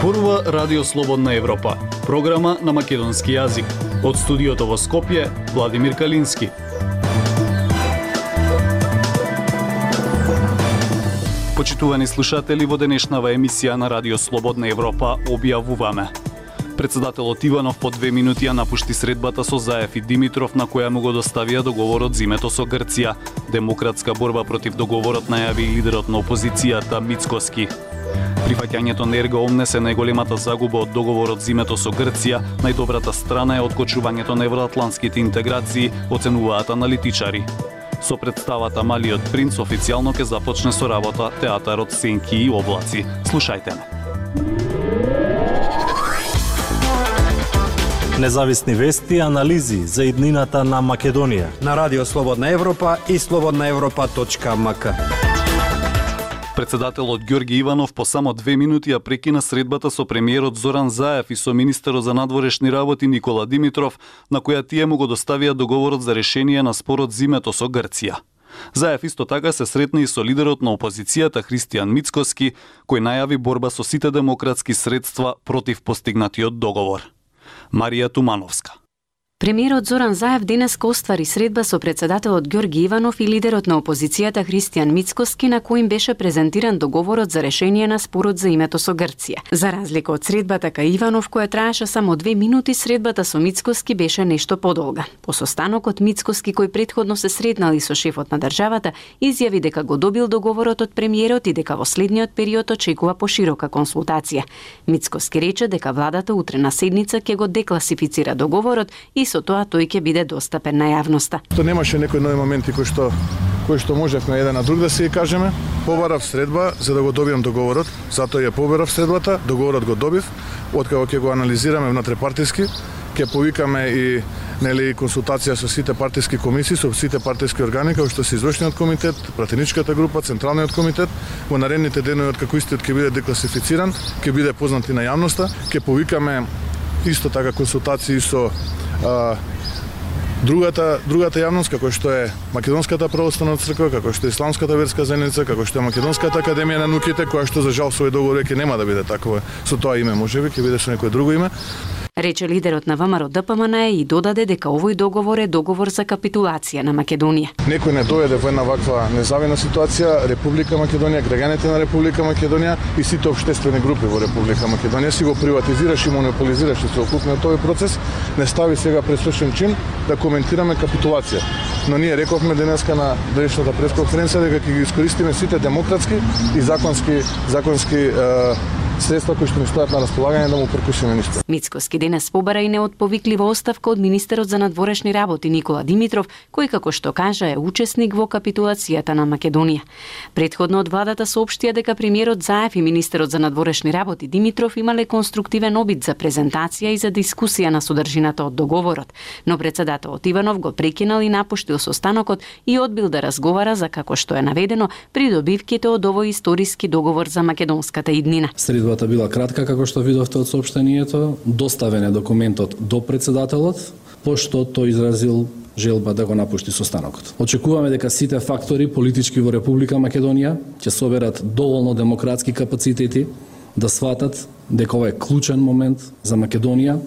Зборува Радио Слободна Европа, програма на македонски јазик. Од студиото во Скопје, Владимир Калински. Почитувани слушатели, во денешнава емисија на Радио Слободна Европа објавуваме: председателот Иванов по 2 минути ја напушти средбата со Заев и Димитров, на која му го доставија договорот зимето со Грција. Демократска борба против договорот најави и лидерот на опозицијата Мицкоски. Прифаќањето на Ерга Омнес е најголемата загуба од договорот зимето со Грција. Најдобрата страна е откочувањето на евроатлантските интеграции, оценуваат аналитичари. Со представата Малиот принц официјално ќе започне со работа театарот Сенки и облаци. Слушајте ме. Независни вести и анализи за иднината на Македонија на Радио Слободна Европа и slobodnaevropa.mk. Председателот Ѓорги Иванов по само 2 минути ја прекина средбата со премиерот Зоран Заев и со министерот за надворешни работи Никола Димитров, на која тие му го доставија договорот за решение на спорот зимето со Грција. Заев исто така се сретна и со лидерот на опозицијата Христијан Мицкоски, кој најави борба со сите демократски средства против постигнатиот договор. Марија Тумановска. Премиерот Зоран Заев денес оствари средба со председателот Ѓорги Иванов и лидерот на опозицијата Христијан Мицкоски, на кој им беше презентиран договорот за решение на спорот за името со Грција. За разлика од средбата кај Иванов, која траеше само 2 минути, средбата со Мицкоски беше нешто подолга. По состанокот Мицкоски, кој претходно се сретнал и со шефот на државата, изјави дека го добил договорот од премиерот и дека во следниот период очекува поширока консултација. Мицкоски рече дека владата утре на седница ќе го декласифицира договорот и со тоа тој ќе биде достапен на јавноста. То немаше некои нови моменти кои што можевме еден на друг да се кажеме. Побарав средба за да го добијам договорот, затоа ја побарав средбата, договорот го добив, откако ќе го анализираме внутрипартиски, ќе повикаме и консултација со сите партиски комисии, со сите партиски органи, како што се извршниот комитет, пратеничката група, централниот комитет. Во наредните денови откако истиот ќе биде декласифициран, ќе биде познат и на јавноста, ќе повикаме исто така консултации со другата јавност, како што е Македонската православна црква, како што е Исламската верска заедница, како што е Македонската академија на науките, која што за жал со овој договор ќе нема да биде такова со тоа име, можеби ќе биде со некое друго име. Рече лидерот на ВМРО ДПМН и додаде дека овој договор е договор за капитулација на Македонија. Некој не дојде во една ваква незавидна ситуација, Република Македонија, граѓаните на Република Македонија и сите општествени групи во Република Македонија си го приватизираш и монополизираш целокупниот овој процес, не стави сега пресвршен чин да коментираме капитулација. Но ние рековме денеска на денешната пресконференција дека ќе ги искористиме сите демократски и законски средства кои што ни стојат на располагање да му прекусиме ништо. Мицкоски денес побара и неотповиклива оставка од министерот за надворешни работи Никола Димитров, кој како што кажа е учесник во капитулацијата на Македонија. Претходно од владата соопштија дека премиерот Заев и министерот за надворешни работи Димитров имале конструктивен обид за презентација и за дискусија на содржината од договорот, но председателот Иванов го прекинал и напуштил состанокот и одбил да разговара за, како што е наведено, придобивките од овој историски договор за македонската иднина. Средбата била кратка, како што видовте од соопштението. Доставен е документот до председателот, пошто тој изразил желба да го напушти состанокот. Очекуваме дека сите фактори политички во Република Македонија ќе соберат доволно демократски капацитети да сватат дека ова е клучен момент за Македонија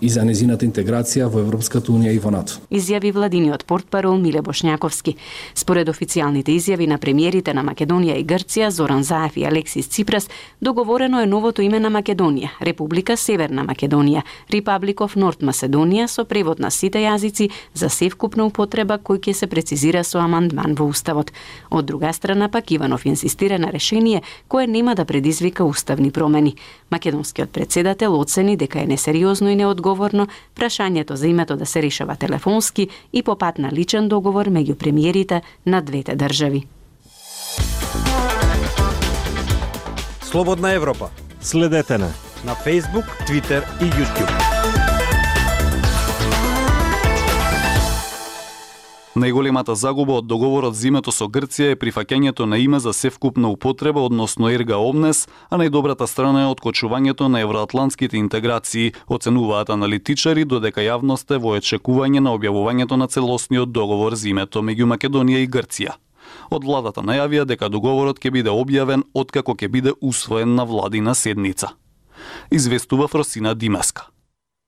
и за незината интеграција во Европската унија и во НАТО. Изјави владиниот портпарол Миле Бошњаковски. Според официјалните изјави на премиерите на Македонија и Грција, Зоран Заев и Алексис Ципрас, договорено е новото име на Македонија, Република Северна Македонија, Republic of North Macedonia, со превод на сите јазици за севкупна употреба кој ќе се прецизира со амандман во Уставот. Од друга страна пак Иванов инсистира на решение кое нема да предизвика уставни промени. Македонскиот председател оцени дека е несериозно и неодговорно прашањето за името да се решава телефонски и по пат на личен договор меѓу премиерите на двете држави. Слободна Европа. Следете на Facebook, Twitter и YouTube. Најголемата загуба од договорот зимето со Грција е прифаќањето на име за севкупна употреба, односно Ерга Омнес, а најдобрата страна е откочувањето на евроатлантските интеграции, оценуваат аналитичари, додека јавноста е во очекување на објавувањето на целосниот договор зимето меѓу Македонија и Грција. Од владата најавија дека договорот ќе биде објавен откако ќе биде усвоен на владина седница. известува Фросина Димеска.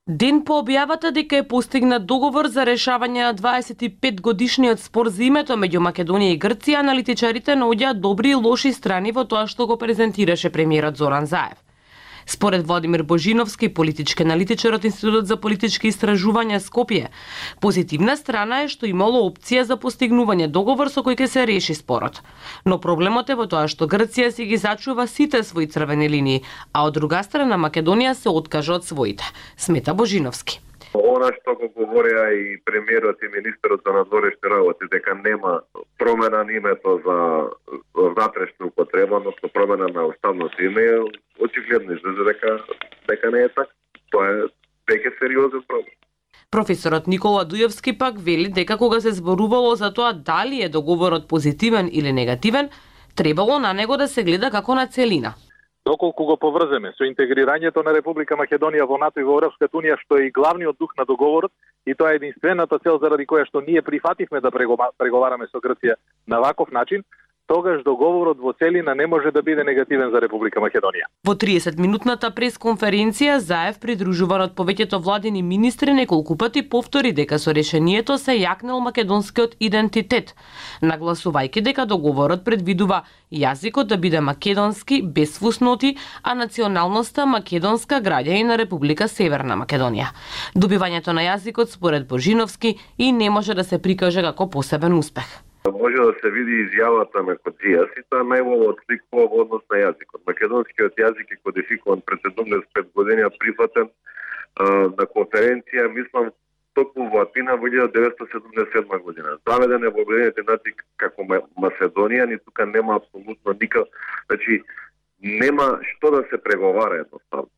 Ден по објавата дека е постигнат договор за решавање на 25-годишниот спор за името меѓу Македонија и Грција, аналитичарите наоѓаат добри и лоши страни во тоа што го презентираше премиерот Зоран Заев. Според Владимир Божиновски, политички аналитичар од Институтот за политички истражувања Скопје, позитивна страна е што имало опција за постигнување договор со кој ќе се реши спорот. Но проблемот е во тоа што Грција си ги зачува сите своји црвени линии, а од друга страна Македонија се откажа од своите, смета Божиновски. Она што го говореа и премиерот и министерот за надворешни работи, дека нема промена на името за внатрешна употреба, односно промена на уставното име, очигледно излезе дека не е така. Тоа е веќе сериозен проблем. Професорот Никола Дујовски пак вели дека кога се зборувало за тоа дали е договорот позитивен или негативен, требало на него да се гледа како на целина. Доколку го поврземе со интегрирањето на Република Македонија во НАТО и во Европската унија, што е и главниот дух на договорот, и тоа е единствената цел заради која што ние прифативме да преговараме со Грција на ваков начин, тогаш договорот во целина не може да биде негативен за Република Македонија. Во 30-минутната пресконференција Заев, придружуван од повеќето владини министри, неколку пати повтори дека со решението се јакнел македонскиот идентитет, нагласувајќи дека договорот предвидува јазикот да биде македонски без фусноти, а националноста македонска граѓани на Република Северна Македонија. Добивањето на јазикот според Божиновски и не може да се прикаже како посебен успех. Може да се види изјавата на Коджијас и тоа најголемо отсликува во однос на јазикот. Македонскиот јазик е кодификуван пред 75 години, прифатен на конференција, мислам, токму во Атина во 1977 година. Заведен е во Обединетите нации како Маседонија, ни тука нема апсолутно никакво, значи нема што да се преговара едноставно.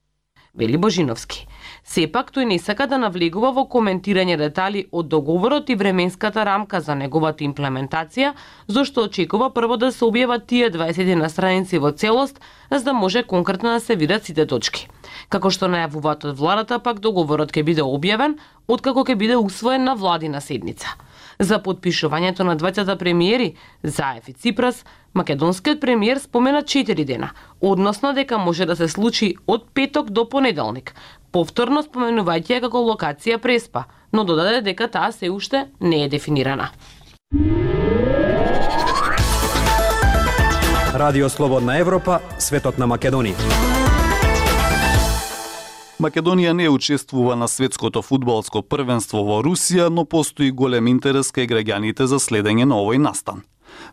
Вели Божиновски. Сепак тој не сака да навлегува во коментирање детали од договорот и временската рамка за неговата имплементација, зашто очекува прво да се објават тие 21 страници во целост, за да може конкретно да се видат сите точки. Како што најавуваат од владата, пак договорот ќе биде објавен откако ќе биде усвоен на владина седница. За подпишувањето на двајцата премиери, Заев и Ципрас, македонскиот премиер спомена 4 дена, односно дека може да се случи од петок до понеделник, повторно споменувајќи ја како локација Преспа, но додаде дека таа се уште не е дефинирана. Радио Слободна Европа, светот на Македонија. Македонија не учествува на светското фудбалско првенство во Русија, но постои голем интерес кај граѓаните за следење на овој настан.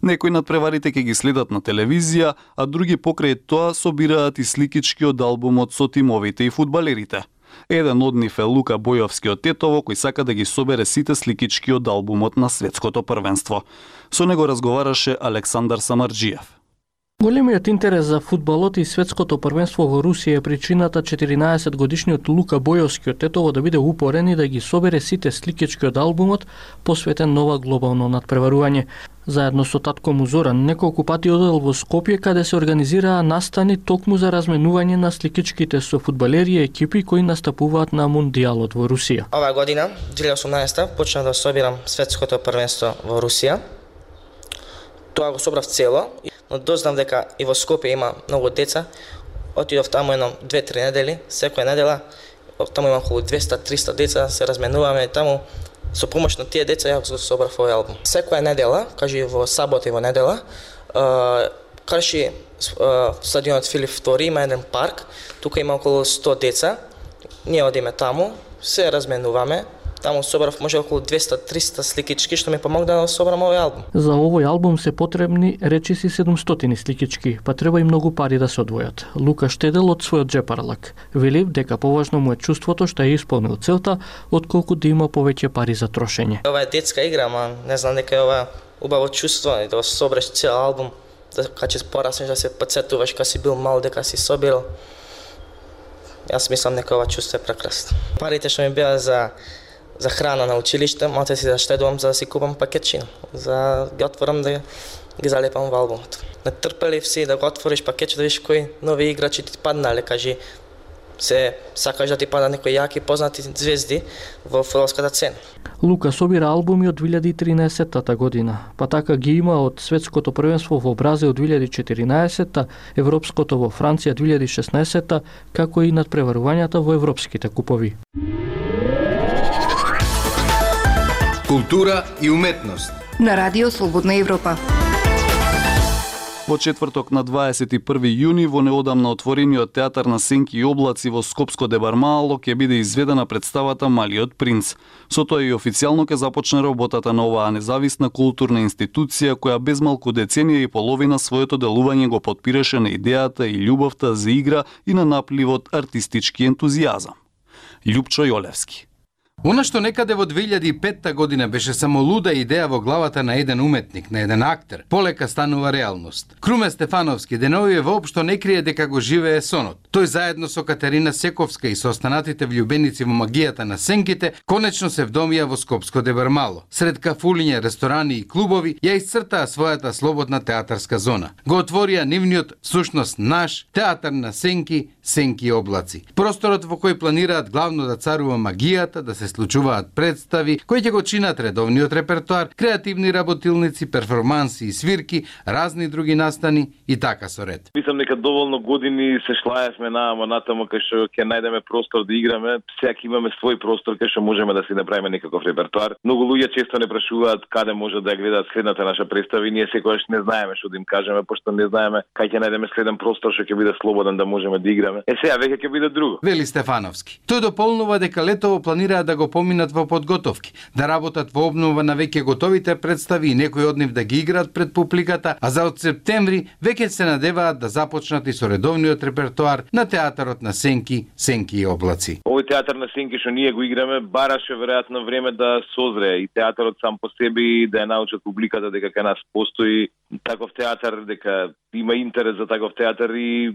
Некои надпреварите ќе ги следат на телевизија, а други покрај тоа собираат и сликички од албумот со тимовите и фудбалерите. Еден од нив е Лука Бојовски од Тетово, кој сака да ги собере сите сликички од албумот на светското првенство. Со него разговараше Александар Самарџиев. Големиот интерес за фудбалот и светското првенство во Русија е причината 14-годишниот Лука Бојовски од Тетово да биде упорен и да ги собере сите сликички од албумот посветен на ова глобално надпреварување. Заедно со татко му Зоран неколку пати одел во Скопје, каде се организираа настани токму за разменување на сликичките со фудбалери и екипи кои настапуваат на Мундијалот во Русија. Оваа година, 2018, почнав да собирам светското првенство во Русија. Тоа го собрав цело, но дознав дека и во Скопје има многу деца. Отидов таму едно 2-3 недели, секоја недела. Таму има околу 200-300 деца, се разменуваме таму. Со помош на тие деца ја го собрав овој албум. Секоја недела, кажи во сабота и во недела, крши стадионот Филип II, има еден парк, тука има околу 100 деца. Ние одиме таму, се разменуваме. Таму собрав може околу 200-300 сликички, што ми помогна да собрам овој албум. За овој албум се потребни речиси 700 сликички, па треба и многу пари да се одвојат. Лука штедел од својот джепарлак. Вели дека поважно му е чувството што е исполнил целта, отколку да има повеќе пари за трошење. Ова е детска игра, ама не знам дека е ова убаво чувство, да собереш цел албум, да кога пораснеш да се потсетуваш кога си бил мал, дека си собирал. Јас мислам дека ова чувство е прекрасно. Парите што ми беа за храна на училиште, малце си заштедувам за да си купам пакетчина, за да ги отворам да ги залепам во албумот. Натрпелив си да го отвориш пакетче да видиш кои нови играчи ти паднале, кажи се сакаш да ти падат некои јаки познати звезди во фудбалската цена. Лука собира албуми од 2013 година, па така ги има од светското првенство во Бразил 2014, европското во Франција 2016, како и надпреварувањата во европските купови. Култура и уметност на Радио Слободна Европа. Во четврток на 21 јуни во неодамна отворениот театар на Сенки и облаци во Скопско Дебармало ќе биде изведена представата Малиот принц. Со тоа и официјално ќе започне работата на оваа независна културна институција која без малку деценија и половина своето делување го потпираше на идејата и љубовта за игра и на напливот артистички ентузијазам. Љупчо Јолевски. Она што некаде во 2005 година беше само луда идеја во главата на еден уметник, на еден актер, полека станува реалност. Круме Стефановски деновиве воопшто не крие дека го живее сонот. Тој заедно со Катерина Сековска и со останатите влюбеници во магијата на сенките, конечно се вдомија во Скопско Дебармало. Сред кафулиња, ресторани и клубови ја исцртаа својата слободна театарска зона. Го отворија нивниот, всушност наш, театар на сенки, сенки и облаци. Просторот во кој планираат главно да царува магијата, да се случуваат представи кои ќе го чинат редовниот репертоар, креативни работилници, перформанси и свирки, разни други настани и така со ред. Мислам дека доволно години се шлаевме натаму кај што ќе најдеме простор да играме. Сега имаме свој простор кај што можеме да си направиме некаков репертоар. Многу луѓе често не прашуваат каде може да ја гледаат следната наша представа и ние секогаш не знаеме што да им кажеме, пошто не знаеме кај ќе најдеме следен простор што ќе биде слободен да можеме да играме. Сега веќе ќе биде друго. Вели Стефановски. Тој дополнува дека летово планираат да го поминат во подготовки, да работат во обнова на веќе готовите представи и некои од нив да ги играат пред публиката, а за од септември веќе се надеваат да започнат и со редовниот репертоар на театарот на сенки, сенки и облаци. Овој театар на сенки што ние го играме бараше веројатно време да созрее и театарот сам по себе да ја научат публиката дека кај нас постои таков театар, дека има интерес за таков театар и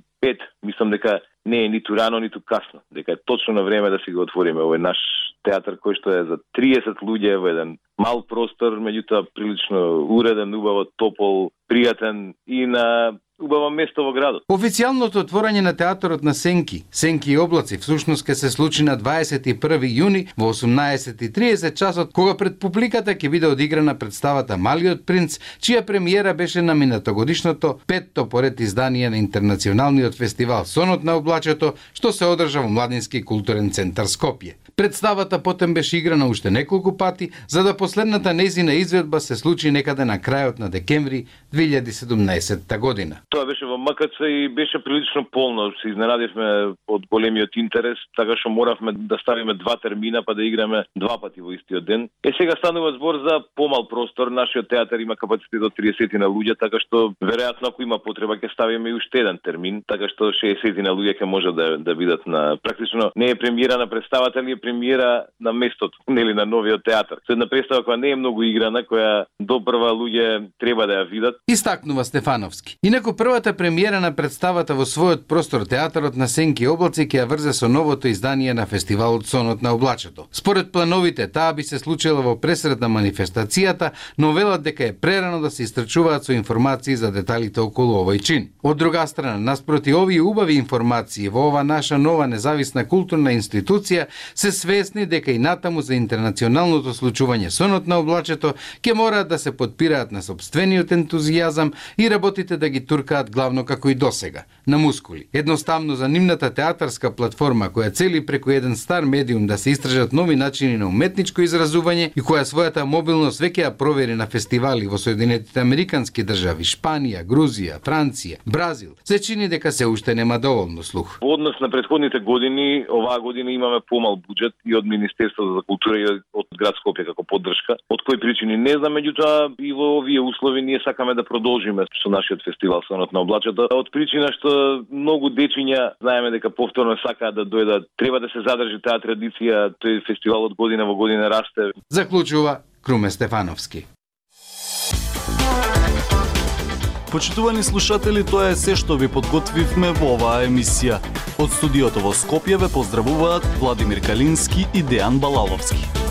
мислам дека не е ниту рано, ниту касно, дека е точно на време да си го отвориме овој наш театар кој што е за 30 луѓе во еден мал простор, меѓутоа прилично уреден, убаво топол, пријатен и на убаво место во градот. Официјалното отворање на театарот на Сенки, Сенки и облаци всушност ќе се случи на 21 јуни во 18:30 часот, кога пред публиката ќе биде одиграна представата Малиот принц, чија премиера беше на минатогодишното 5-то поред издание на интернационалниот фестивал Сонот на облачето, што се одржа во Младински културен центар Скопје. Представата потем беше играна уште неколку пати, за да последната нејзина изведба се случи некаде на крајот на декември 2017 година. Тоа беше во МКЦ и беше прилично полно. Се изненадивме од големиот интерес, така што моравме да ставиме 2 термина па да играме 2 пати во истиот ден. Сега станува збор за помал простор. Нашиот театар има капацитет од 30 на луѓе, така што веројатно ако има потреба ќе ставиме и уште еден термин, така што 60 на луѓе ќе може да бидат на практично не е премиера на представата, али е премиера на местото, нели на новиот театар. Со една представа која не е многу играна, која допрва луѓе треба да ја видат. Истакнува Стефановски. Инаку првата премиера на представата во својот простор театарот на Сенки и облаци ќе ја врзе со новото издание на фестивалот Сонот на облачето. Според плановите, таа би се случила во пресред на манифестацијата, но велат дека е прерано да се истрчуваат со информации за деталите околу овој чин. Од друга страна, наспроти овие убави информации во ова наша нова независна културна институција се свесни дека и натаму за интернационалното случување Сонот на облачето ќе мораат да се потпираат на сопствениот ентузијазам и работите да ги туркаат главно како и досега, на мускули. Едноставно за нивната театарска платформа која цели преку еден стар медиум да се истражат нови начини на уметничко изразување и која својата мобилност веќе ја провери на фестивали во Соединетите Американски држави, Шпанија, Грузија, Франција, Бразил, се чини дека се уште нема доволно слух. Во однос на претходните години, оваа година имаме помал буџет и од Министерството за култура и од град Скопје како поддршка. Од кои причини не знам, меѓутоа и во овие услови ние сакаме да продолжиме со нашиот фестивал Сонот на облачето. Од причина што многу дечиња знаеме дека повторно сакаат да дојдат, треба да се задржи таа традиција, тој фестивал од година во година расте. Заклучува Круме Стефановски. Почитувани слушатели, тоа е се што ви подготвивме во оваа емисија. Од студиото во Скопје ве поздравуваат Владимир Калински и Дејан Балаловски.